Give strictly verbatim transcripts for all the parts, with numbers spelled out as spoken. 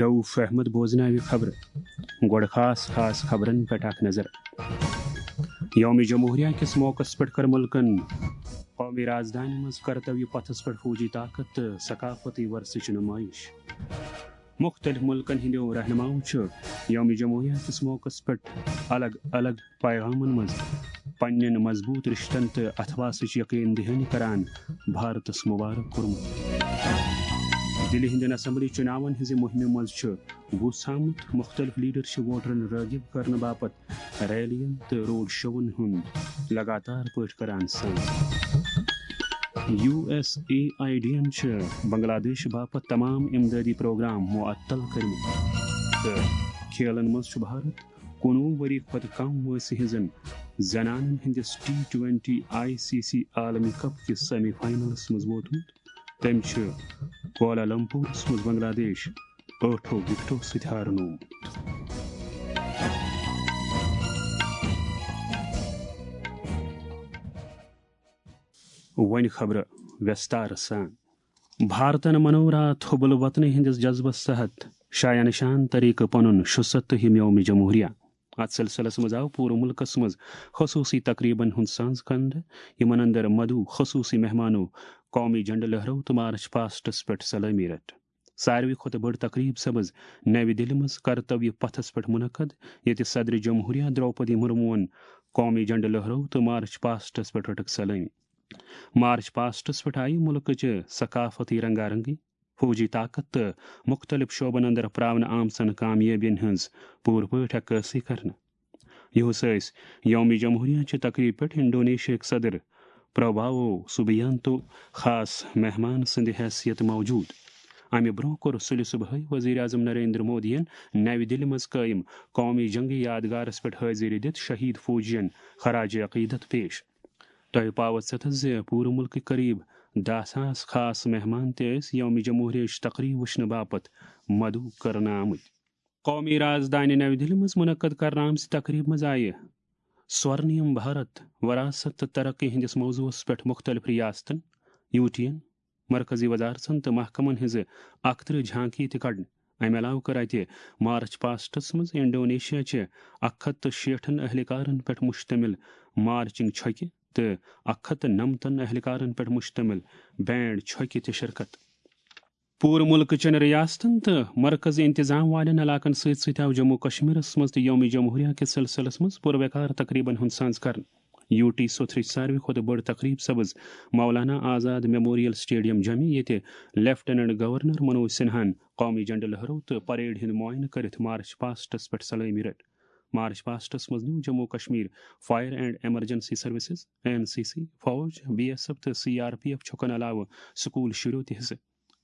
رؤف احمد بوزناوِ خبرٕ۔ گۄڈٕ خاص خاص خبرن پٮ۪ٹھ اکھ نظر۔ یوم جمہوریہ کِس موقعس پٮ۪ٹھ کٔر مُلکن قومی رازدانہِ منٛز کرتویہ پتھس پٮ۪ٹھ فوجی طاقت تہٕ ثقافتی ورثٕچ نمٲیش۔ مُختٔلِف مُلکن ہٕنٛدیو رہنماہو چھُ یوم جمہوریہ کِس موقعس پٮ۪ٹھ الگ الگ پیغامن منٛز پننٮ۪ن مضبوط رشتن تہٕ اتھواسٕچ یقین دہانی کران بھارتس مبارک کوٚرمُت۔ دِلہِ ہٕنٛدٮ۪ن اسمبلی چُناون ہٕنٛزِ مُہِمہِ منٛز چھُ وُژھ آمُت، مُختٔلِف لیڈر چھِ ووٹرن رٲغِب کرنہٕ باپتھ ریلین تہٕ روڈ شوون ہُنٛد لگاتار پٲٹھۍ کران سان۔ U S A I D ین چھِ بنگلہ دیش باپتھ تمام امدادی پروگرام معطل کٔرمٕتۍ تہٕ کھیلن منٛز چھُ بھارت کُنوُہ ؤری کھۄتہٕ کم وٲنٛسہِ ہٕنٛزن زنانن ہٕنٛدِس T twenty I C C عالمی کپ کِس سیمی فاینلس منٛز ووتمُت۔ تٔمۍ چھِ کوالالمپورس منٛز بنگلہ دیش ٲٹھو وِکٹو سۭتۍ ہارنوومُت۔ وۄنۍ خبرٕ وٮ۪ستارٕ سان۔ بھارتن منوو راتھ حب الوطنی ہٕنٛدِس جذبس تحت شایان شان طریقہٕ پنُن شُستہٕ یوم جمہوریہ۔ اتھ سلسلس منٛز آو پوٗرٕ مُلکس منٛز خصوٗصی تقریبن ہُنٛد سانز کرنہٕ، یِمن اندر مدعو خصوٗصی مہمانو قومی جھنڈٕ لہرٲو تہٕ مارچ پاسٹس پٮ۪ٹھ سلٲمی رٔٹ۔ ساروی کھۄتہٕ بٔڑ تقریب سپٕز نَوِ دِلہِ منٛز کرتویہ پتھس پٮ۪ٹھ منعقد، ییٚتہِ صدر جمہوریہ درٛوپدی مُرموٗہن قومی جھنڈٕ لہرٲو تہٕ مارچ پاسٹس پٮ۪ٹھ رٔٹٕکھ سلٲمی۔ مارچ پاسٹس پٮ۪ٹھ آیہِ مُلکٕچہِ ثقافتی رنگا رنگی، فوجی طاقت تہٕ مُختٔلِف شعبن اندر پراونہٕ آمژن کامیٲبین ہٕنٛز پوٗرٕ پٲٹھۍ عکٲسی کرنہٕ۔ یُہُس ٲسۍ یوم جمہوریہ چہِ تقریبہِ پٮ۪ٹھ انڈونیشیاہٕکۍ صدر پراباوو سوبیانتو خاص مہمان سٕنٛدِ حیثیت موجود۔ امہِ برٛونٛہہ کوٚر سُلہِ صبحٲے وزیر اعظم نریندر مودیَن نَوِ دِلہِ منٛز قٲیِم قومی جنگی یادگارس پٮ۪ٹھ حٲضِری دِتھ شہید فوجین خراج عقیدت پیش۔ تۄہہِ پاوت ستھ زِ پوٗرٕ مُلکٕکۍ قریب دَہ ساس خاص مہمان تہِ ٲسۍ یوم جمہوریہٕچ تقریب وٕچھنہٕ باپتھ مدعو کرنہٕ آمٕتۍ۔ قومی رازدانہِ نَوِ دِلہِ منٛز منعقد کرنہٕ آمژِ تقریبہِ منٛز آیہِ سورنیم بھارت، وراثت تہٕ ترقی ہٕنٛدِس موضوعس پٮ۪ٹھ مُختٔلِف ریاستن، یوٗٹین، مرکزی وزارژن تہٕ محکمن ہٕنٛزٕ اکترٕہ جھانکی تہِ کڑنہٕ۔ امہِ علاوٕ کٔر اتہِ مارچ پاسٹس منٛز انڈونیشیا چہِ اکھ ہتھ تہٕ شیٹھن اہلکارن پٮ۪ٹھ مشتمل مارچنگ چھۄکہِ تہٕ اکھ ہتھ تہٕ نمتن اہلکارن پٮ۪ٹھ مشتمل بینڈ چھۄکہِ تہِ شرکت۔ پوٗرٕ مُلکہٕ چٮ۪ن ریاستن تہٕ مرکزی انتظام والٮ۪ن علاقن سۭتۍ سۭتۍ آو جموں کشمیرس منٛز تہِ یوم جمہوریہ کِس سلسلس منٛز پُروقار تقریبن ہُنٛد سانز کرنہٕ۔ یوٗ ٹی سوتھرٕچ ساروی کھۄتہٕ بٔڑ تقریب سپٕز مولانا آزاد میموریل سٹیڈیم جمہِ، ییٚتہِ لیفٹیننٹ گورنر منوج سنہاہن قومی جھنڈٕ لہرٲو تہٕ پریڈ ہُنٛد معائنہٕ کٔرِتھ مارچ پاسٹس پٮ۪ٹھ سلٲمی رٔٹ۔ مارچ پاسٹس منٛز نیوٗ Jammu Kashmir fire and emergency services, N C C, فوج، بی ایس ایف تہٕ سی آر پی ایف چھُکن علاوٕ سکول شُرٮ۪و تہِ حصہٕ۔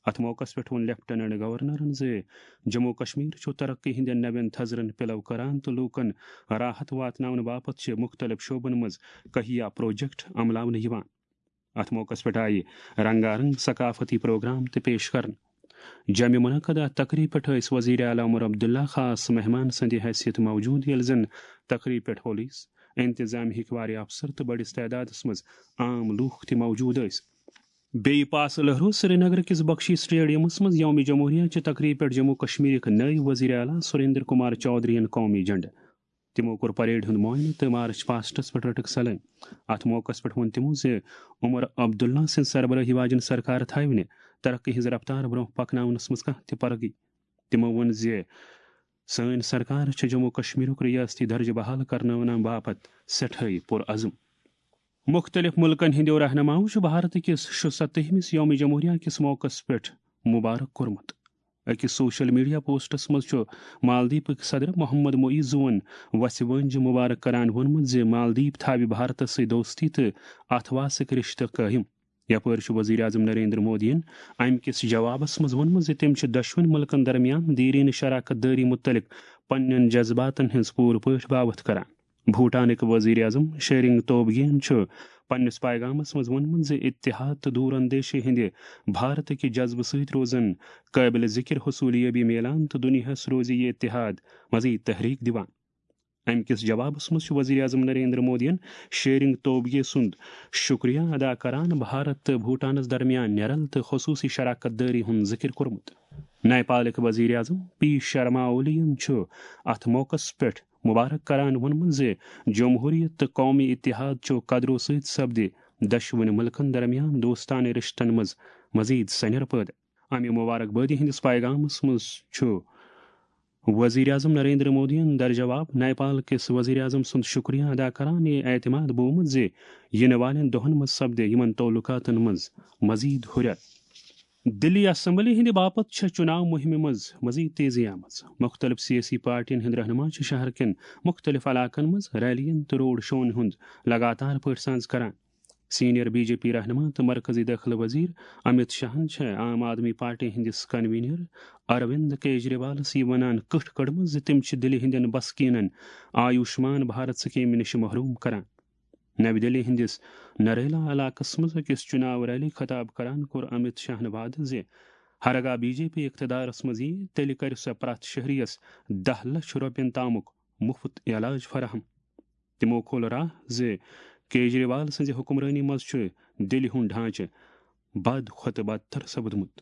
اتھ موقعس پٮ۪ٹھ ووٚن لیفٹیننٹ گورنرن زِ جموں کشمیر چھُ ترقی ہٕنٛدٮ۪ن نوٮ۪ن تھزرن پِلو کران تہٕ لوٗکن راحت واتناونہٕ باپتھ چھِ مُختٔلِف شعبن منٛز کہیا پروجیکٹ عملاونہٕ یِوان۔ اتھ موقعس پٮ۪ٹھ آیہِ رنگا رنگ ثقافتی پروگرام تہِ پیش کرنہٕ۔ جمہِ منعقدہ تقریب پٮ۪ٹھ ٲسۍ وزیر اعلیٰ عمر عبداللہ خاص مہمان سٕنٛدِ حیثیت موجود، ییٚلہِ زن تقریب پٮ۪ٹھ پولیس، انتظامی ہٕکۍ واریاہ افسر تہٕ بٔڑِس تعدادس منٛز عام لوٗکھ تہِ موجود ٲسۍ۔ بیٚیہِ پاسہٕ لہرو سرینگر کِس بخشی سٹیڈیمس منٛز یوم جمہوریہ چہِ تقریب پٮ۪ٹھ جموں کشمیرٕکۍ نٔوۍ وزیر اعلیٰ سریندر کمار چودھرین قومی جھنڈٕ۔ تِمو کوٚر پریڈ ہُنٛد معائنہٕ تہٕ مارچ پاسٹس پٮ۪ٹھ رٔٹٕکھ سلٲمۍ۔ اتھ موقعس پٮ۪ٹھ ووٚن تِمو زِ عمر عبداللہ سٕنٛز سربرٲہی واجٮ۪ن سرکار تھاوِ نہٕ ترقی ہٕنٛز رفتار برٛونٛہہ پکناونس منٛز کانٛہہ تہِ پرگی۔ تِمو ووٚن زِ سٲنۍ سرکار چھِ جموں کشمیرُک ریاستی درجہٕ بحال کرناونہٕ باپتھ سٮ۪ٹھاے پُرعزم۔ مُختٔلِف مُلکن ہٕنٛدیو رہنماہو چھُ بھارت کِس شُستٲہِمِس یوم جمہوریہ کِس موقعس پٮ۪ٹھ مبارک کوٚرمُت۔ أکِس سوشل میڈیا پوسٹس منٛز چھُ مالدیپٕکۍ صدر محمد معیزوَن وژھِ وٲنٛجہِ مبارک کران ووٚنمُت زِ مالدیپ تھاوِ بھارتس سۭتۍ دوستی تہٕ اتھواسٕکۍ رشتہٕ قٲیِم۔ یپٲرۍ چھُ وزیر اعظم نریندر مودیَن امہِ کِس جوابس منٛز ووٚنمُت زِ تِم چھِ دۄشوٕنی مُلکن درمیان دیرینہٕ شراکت دٲری مُتعلق پننٮ۪ن جذباتن ہٕنٛز پوٗرٕ پٲٹھۍ باوتھ کران۔ بھوٹانٕکۍ وزیر اعظم شیرنگ توبگین چھُ پننِس پیغامس منٛز ووٚنمُت زِ اتحاد تہٕ دور اندیشی ہٕنٛدِ بھارتٕکہِ جذبہٕ سۭتۍ روزن قٲبلِ ذِکر حصوٗلیٲبی میلان تہٕ دُنیاہس روزِ یہِ اتحاد مزید تحریک دِوان۔ امہِ کِس جوابس منٛز چھُ وزیر اعظم نریندر مودیَن شیرنگ توبگے سُنٛد شُکریہ ادا کران بھارت تہٕ بھوٹانس درمیان نیرل تہٕ خصوٗصی شراکت دٲری ہُنٛد ذِکر کوٚرمُت۔ نیپالٕکۍ وزیر اعظم پی شرما اولی ین چھُ اتھ موقعس پٮ۪ٹھ مبارک کران ووٚنمُت زِ جمہوریت تہٕ قومی اتحاد چو قدرو سۭتۍ سپدِ دۄشوٕنۍ ملکن درمیان دوستانہٕ رشتن منٛز مزید سنیر پٲدٕ۔ امہِ مبارکبٲدی ہٕنٛدِس پیغامس منٛز چھُ وزیر اعظم نریندر مودیَن درجواب نیپال کِس وزیر اعظم سُنٛد شکریہ ادا کران یہِ اعتماد بومُت زِ یِنہٕ والٮ۪ن دۄہَن منٛز سپدِ یِمَن تعلقاتَن منٛز مزید ہُرٮ۪ر۔ دِلی اسمبلی ہٕنٛدِ باپتھ چھےٚ چُناو مُہِمہِ منٛز مزید تیزی آمٕژ۔ مُختٔلِف سیٲسی پارٹیَن ہٕنٛدۍ رہنما چھِ شہر کٮ۪ن مُختٔلِف علاقَن منٛز ریلیَن تہٕ روڈ شوَن ہُنٛد لگاتار پٲٹھۍ سانز کران۔ سینئر بی جے پی رہنما تہٕ مرکزی دٲخلہٕ وزیر امت شاہن چھےٚ عام آدمی پارٹی ہٕنٛدِس کنوینر اروند کیجریوالس یہِ ونان کٔٹھ کٔڑمٕژ زِ تِم چھِ دِلہِ ہٕنٛدٮ۪ن بسکیٖنن آیوشمان بھارت سکیمہِ نِش محروم کران۔ نَوِ دِلہِ ہٕنٛدِس نریلا علاقس منٛز أکِس چُناو ریلی خطاب کران کوٚر امت شاہن وعدٕ زِ ہرگاہ بی جے پی اقتدارس منٛز ییہِ، تیٚلہِ کرِ سۄ پرٛٮ۪تھ شہریَس دَہ لچھ رۄپین تامُک مُفت علاج فراہم۔ تِمو کھول راہ زِ کیجریوال سٕنٛزِ حکمرٲنی منٛز چھُ دِلہِ ہُنٛد ڈھانچہٕ بد کھۄتہٕ بدتر سپدمُت۔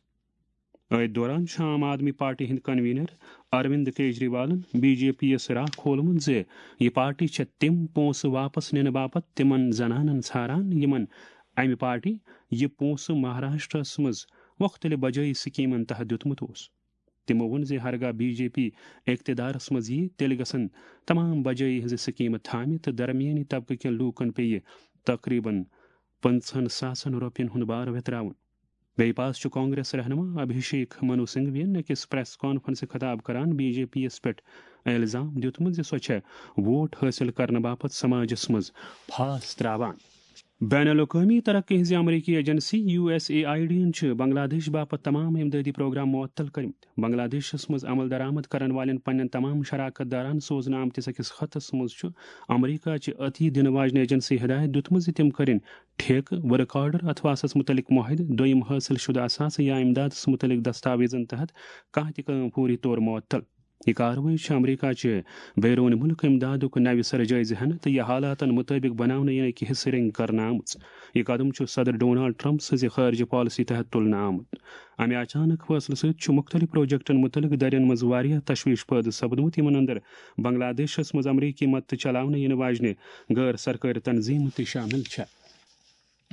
أتھۍ دوران چھُ عام آدمی پارٹی ہٕنٛدۍ کنوینر اروند کیجریوالن بی جے پی یَس راہ کھولمُت زِ یہِ پارٹی چھےٚ تِم پونٛسہٕ واپس نِنہٕ باپتھ تِمن زنانن ژھاران، یِمن امہِ پارٹی یہِ پونٛسہٕ مہاراشٹرس منٛز مُختٔلِف بجٲیی سکیمن تحت دیُتمُت اوس۔ تِمو ووٚن زِ ہرگاہ بی جے پی اقتدارس منٛز ییہِ، تیٚلہِ گژھن تمام بجٲیی ہٕنٛزٕ سکیمہٕ تھامہِ تہٕ درمیٲنی طبقہٕ کٮ۪ن لوٗکن پیٚیہِ تقریباً پنٛژہن ساسن رۄپین ہُنٛد بار ویتراوُن۔ بیٚیہِ پاس چھُ کانگریس رہنما ابھیشیک منو سنگھوین أکِس پریس کانفرنسہِ خطاب کران بی جے پی یَس پٮ۪ٹھ الزام دیُتمُت زِ سۄ چھےٚ ووٹ حٲصِل کرنہٕ باپتھ سماجس منٛز پھاس تراوان۔ بین الاقوٲمی ترقی ہٕنٛزِ امریکی agency U S A I D یَن چھِ بنگلہ دیش باپتھ تمام امدادی پروگرام معطل کٔرمٕتۍ۔ بنگلہ دیشس منٛز عمل درآمد کرن والٮ۪ن پننٮ۪ن تمام شراکت دارن سوزنہٕ آمتِس أکِس خطس منٛز چھُ امریکہ چہِ عطیہ دِنہٕ واجنہِ ایجنسی ہدایت دیُتمُت زِ تِم کٔرِن ٹھیکہٕ، ورک آرڈر، اثاثس متعلق معاہدٕ، دوٚیِم حٲصِل شدہ اثاثہٕ یا امدادس متعلق دستاویزن تحت کانٛہہ تہِ کٲم فوری طور معطل۔ یہِ کاروٲیی چھِ امریکہ چہِ بیرون ملک امدادُک نوِ سرٕ جٲیزٕ ہٮ۪نہٕ تہٕ یہِ حالاتن مطٲبق بناونہٕ یِنہٕ کہِ حصہٕ رنگۍ کرنہٕ آمٕژ۔ یہِ قدم چھُ صدر ڈونالڈ ٹرمپ سٕنٛزِ خارجہ پالیسی تحت تُلنہٕ آمُت۔ امہِ اچانک فٲصلہٕ سۭتۍ چھُ مُختٔلِف پروجیکٹن مُتعلق دَرٮ۪ن منٛز واریاہ تشویش پٲدٕ سپدمُت، یِمن اندر بنگلہ دیشس منٛز امریکی مدتہٕ چلاونہٕ یِنہٕ واجنہِ غٲر سرکٲرۍ تنظیمہٕ تہِ شٲمِل چھےٚ۔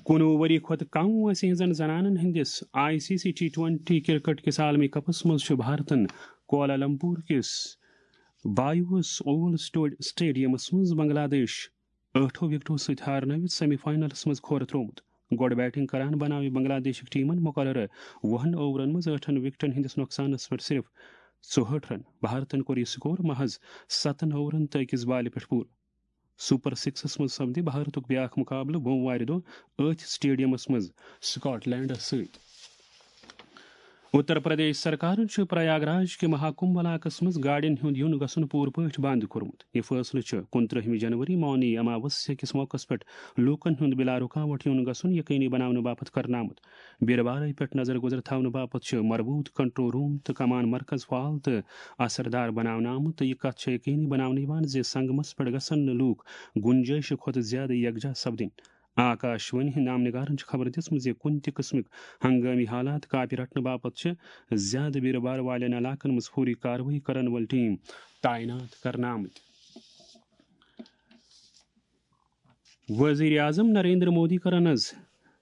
کُنوُہ ؤری کھۄتہٕ کم وٲنٛسہِ ہٕنٛزن زنانن ہٕنٛدِس I C C T twenty cricket کِس عالمی کپس منٛز چھُ بھارتن کوالالمپور کِس بایوس اوول سٹوڈ-، سٹیڈیمس منٛز بنگلہ دیش ٲٹھو وکٹو سۭتۍ ہارنٲوِتھ سیمی فائنلس منٛز کھۄر ترٛوومُت۔ گۄڈٕ بیٹنگ کران بناوِ بنگلہ دیشٕکۍ ٹیمن مقررٕ وُہن اوورن منٛز ٲٹھن وکٹن ہٕنٛدِس نۄقصانس پٮ۪ٹھ صرف ژُہٲٹھ رن۔ بھارتن کوٚر یہِ سکور محض ستن اوورن تہٕ أکِس بالہِ پٮ۪ٹھ پوٗرٕ۔ سپر سکسس منٛز سپدِ بھارتُک بیاکھ مقابلہٕ بوموارِ دۄہ أتھۍ سٹیڈیمس منٛز سکاٹ لینڈس سۭتۍ۔ اتر پردیش سرکارن چھُ پریاگ راج کہِ مہاکمبھ علاقس منٛز گاڑٮ۪ن ہُنٛد یُن گژھُن پوٗرٕ پٲٹھۍ بنٛد کوٚرمُت۔ یہِ فٲصلہٕ چھُ کُنترٕہمہِ جنوری مونی اماوسیا کِس موقعس پٮ۪ٹھ لوٗکن ہُنٛد بلا رُکاوٹ یُن گژھُن یقینی بناونہٕ باپتھ کرنہٕ آمُت۔ بیرٕ وارے پٮ۪ٹھ نظر گُزر تھاونہٕ باپتھ چھُ مربوط کنٹرول روم تہٕ کمان مرکز فعال تہٕ اثردار بناونہٕ آمُت تہٕ یہِ کتھ چھےٚ یقینی بناونہٕ یِوان زِ سنگمس پٮ۪ٹھ گژھن نہٕ لوٗکھ گُنجٲیشہِ کھۄتہٕ زیادٕ یکجاہ سپدٕنۍ۔ آکاشوانی ہٕنٛدۍ نامنگارن چھِ خبر دِژمٕژ زِ کُنہِ تہِ قٕسمٕک ہنگٲمی حالات کاپہِ رٹنہٕ باپتھ چھِ زیادٕ بیرٕ بارٕ والٮ۪ن علاقن منٛز فوری کاروٲیی کرن وٲلۍ ٹیٖم تعینات کرنہٕ آمٕتۍ۔ وزیر اعظم نریندر مودی کرن از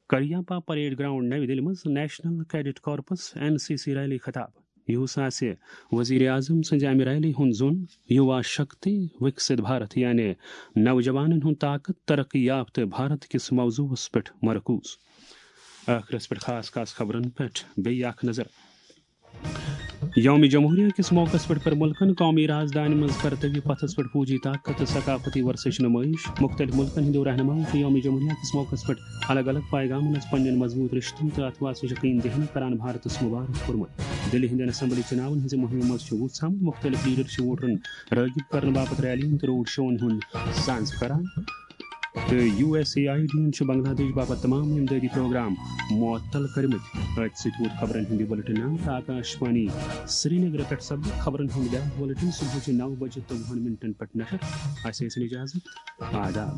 کریامپا پریڈ گراؤنڈ نَوِ دِلہِ منٛز National Cadet Corps, N C C, rally خطاب۔ یُہُس آسہِ وزیر اعظم سٕنٛزِ امہِ ریلی ہُنٛد زوٚن یُوا شکتی وکست بھارت، یعنی نوجوانن ہُنٛد طاقت ترقی یافتہٕ بھارت کِس موضوعس پٮ۪ٹھ مرکوز۔ ٲخرس پٮ۪ٹھ خاص خاص خبرن پٮ۪ٹھ بیٚیہِ اکھ نظر۔ یوم جمہوریہ کِس موقعس پٮ۪ٹھ کٔر مُلکن قومی رازدانہِ منٛز کرتویہ پتھس پٮ۪ٹھ فوجی طاقت تہٕ ثقافتی ورثٕچ نمٲیش۔ مُختٔلِف مُلکن ہٕنٛدیو رہنماہو چھُ یوم جمہوریہ کِس موقعس پٮ۪ٹھ الگ الگ پیغامن منٛز پننٮ۪ن مضبوٗط رشتن تہٕ اتھواسٕچ یقین دہانی کران بھارتس مبارک کوٚرمُت۔ دِلہِ ہٕنٛدٮ۪ن اسمبلی چُناون ہٕنٛزِ مُہِمہِ منٛز چھُ وُژھ آمُت۔ مُختٔلِف لیڈر چھِ ووٹرن رٲغب کرنہٕ باپتھ ریلین تہٕ روڈ شوون ہُنٛد سانز کران۔ تہٕ U S A I D یَن چھُ بنگلہ دیش باپتھ تمام امدادی پروگرام معطل کٔرمٕتۍ۔ أتھۍ سۭتۍ ووت خبرن ہُنٛد یہِ بُلٹن اند۔ آکاش وانی سرینگر پٮ۪ٹھ سپدِ خبرن ہُنٛد بیٛاکھ بُلٹن صبحٕچہِ نَو بجہِ تہٕ وُہن منٹن پٮ۪ٹھ نشر۔ اسہِ ٲسِن اجازت۔ آداب۔